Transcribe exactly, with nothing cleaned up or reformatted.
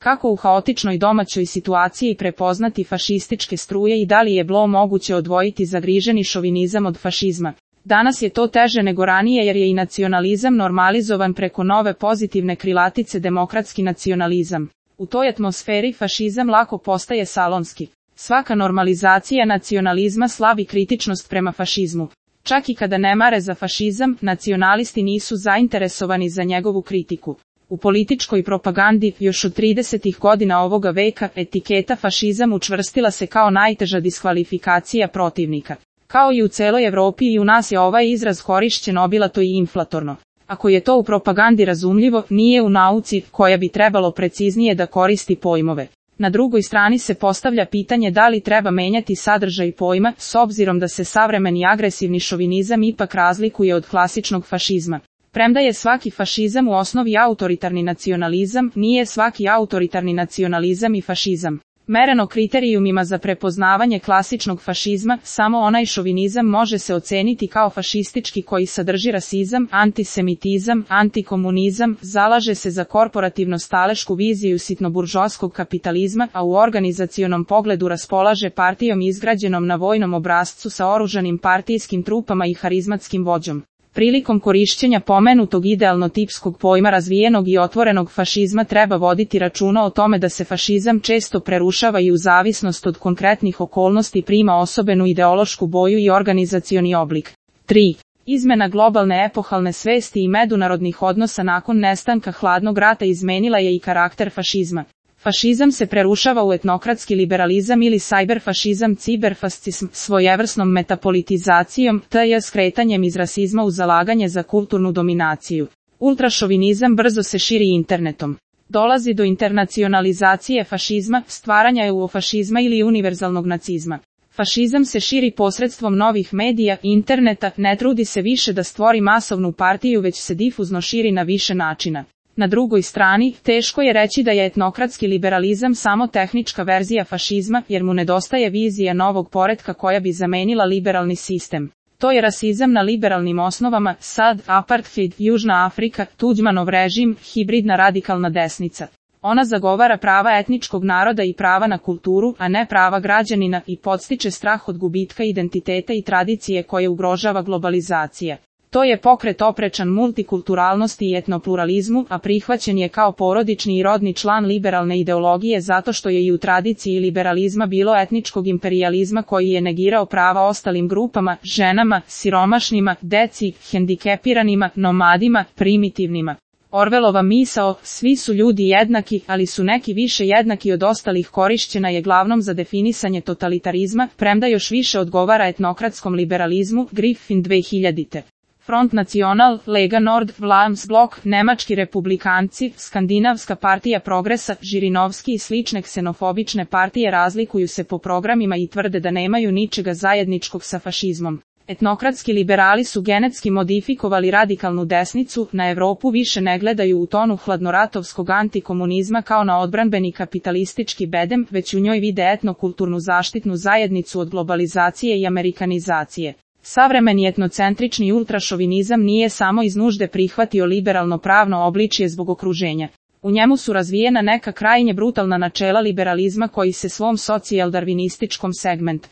Kako u haotičnoj domaćoj situaciji prepoznati fašističke struje i da li je bilo moguće odvojiti zagriženi šovinizam od fašizma? Danas je to teže nego ranije jer je i nacionalizam normalizovan preko nove pozitivne krilatice demokratski nacionalizam. U toj atmosferi fašizam lako postaje salonski. Svaka normalizacija nacionalizma slabi kritičnost prema fašizmu. Čak i kada ne mare za fašizam, nacionalisti nisu zainteresovani za njegovu kritiku. U političkoj propagandi, još od tridesetih godina ovoga veka, etiketa fašizam učvrstila se kao najteža diskvalifikacija protivnika. Kao i u celoj Evropi i u nas je ovaj izraz korišćen obilato i inflatorno. Ako je to u propagandi razumljivo, nije u nauci, koja bi trebalo preciznije da koristi pojmove. Na drugoj strani se postavlja pitanje da li treba menjati sadržaj pojma, s obzirom da se savremeni agresivni šovinizam ipak razlikuje od klasičnog fašizma. Premda je svaki fašizam u osnovi autoritarni nacionalizam, nije svaki autoritarni nacionalizam i fašizam. Mereno kriterijumima za prepoznavanje klasičnog fašizma, samo onaj šovinizam može se oceniti kao fašistički koji sadrži rasizam, antisemitizam, antikomunizam, zalaže se za korporativno-stalešku viziju sitnoburžoskog kapitalizma, a u organizacionom pogledu raspolaže partijom izgrađenom na vojnom obrascu sa oružanim partijskim trupama i harizmatskim vođom. Prilikom korišćenja pomenutog idealno-tipskog pojma razvijenog i otvorenog fašizma treba voditi računa o tome da se fašizam često prerušava i u zavisnost od konkretnih okolnosti prima osobenu ideološku boju i organizacioni oblik. tri. Izmena globalne epohalne svesti i međunarodnih odnosa nakon nestanka hladnog rata izmenila je i karakter fašizma. Fašizam se prerušava u etnokratski liberalizam ili sajberfašizam, ciberfascizam, svojevrsnom metapolitizacijom, te skretanjem iz rasizma u zalaganje za kulturnu dominaciju. Ultrašovinizam brzo se širi internetom. Dolazi do internacionalizacije fašizma, stvaranja eurofašizma ili univerzalnog nacizma. Fašizam se širi posredstvom novih medija, interneta, ne trudi se više da stvori masovnu partiju već se difuzno širi na više načina. Na drugoj strani, teško je reći da je etnokratski liberalizam samo tehnička verzija fašizma, jer mu nedostaje vizija novog poretka koja bi zamenila liberalni sistem. To je rasizam na liberalnim osnovama, sad, apartheid, Južna Afrika, Tuđmanov režim, hibridna radikalna desnica. Ona zagovara prava etničkog naroda i prava na kulturu, a ne prava građanina i podstiče strah od gubitka identiteta i tradicije koje ugrožava globalizacija. To je pokret oprečan multikulturalnosti i etnopluralizmu, a prihvaćen je kao porodični i rodni član liberalne ideologije zato što je i u tradiciji liberalizma bilo etničkog imperijalizma koji je negirao prava ostalim grupama, ženama, siromašnima, deci, hendikepiranima, nomadima, primitivnima. Orvelova misao, svi su ljudi jednaki, ali su neki više jednaki od ostalih korišćena je glavnom za definisanje totalitarizma, premda još više odgovara etnokratskom liberalizmu, Griffin dve hiljadite. Front National, Lega Nord, Vlaams Blok, Nemački republikanci, Skandinavska partija progresa, Žirinovski i slične ksenofobične partije razlikuju se po programima i tvrde da nemaju ničega zajedničkog sa fašizmom. Etnokratski liberali su genetski modifikovali radikalnu desnicu, na Evropu više ne gledaju u tonu hladnoratovskog antikomunizma kao na odbranbeni kapitalistički bedem, već u njoj vide etnokulturnu zaštitnu zajednicu od globalizacije i amerikanizacije. Savremeni etnocentrični ultrašovinizam nije samo iz nužde prihvatio liberalno pravno obličje zbog okruženja. U njemu su razvijena neka krajnje brutalna načela liberalizma koji se svom socijaldarvinističkom segmentu